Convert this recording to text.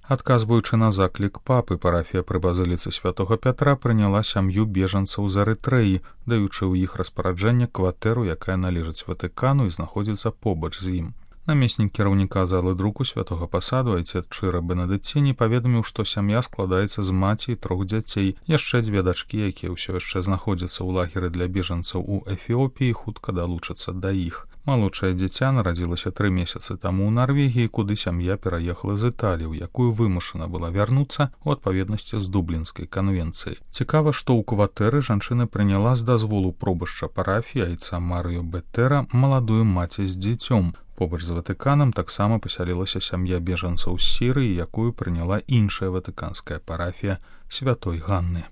Адказваючы на заклік папы, парафія пры базыліцы святога Пятра прыняла сям'ю бежанцаў з Арытрэі, даючы ў іх распараджэнне кватэру, якая належыць Ватыкану і знаходзіцца побач з ім. Намеснік кіраўніка залы друку святога пасаду айцец Чыра Бенедыціні паведаміў, што сям'я складаецца з маці і 3 дзяцей. Яшчэ 2 дачкі, якія ўсё яшчэ знаходзяцца ў лагеры для бежанцаў у Эфіопіі, хутка далучацца да іх. Малодшае дзіця нарадзілася 3 месяцы таму ў Нарвегіі, куды сям'я пераехала з Італіі, у якую вымушана была вярнуцца ў адпаведнасці з Дублінскай канвенцыяй. Цікава, што ў кватэры жанчына прыняла з дазволу пробашча парафіі айца Марыё Беттера маладую маці з дзіцём. Побач з Ватыканам таксама пасялілася сям'я бежанцаў з Сірыі, якую прыняла іншая ватыканская парафія святой Ганны.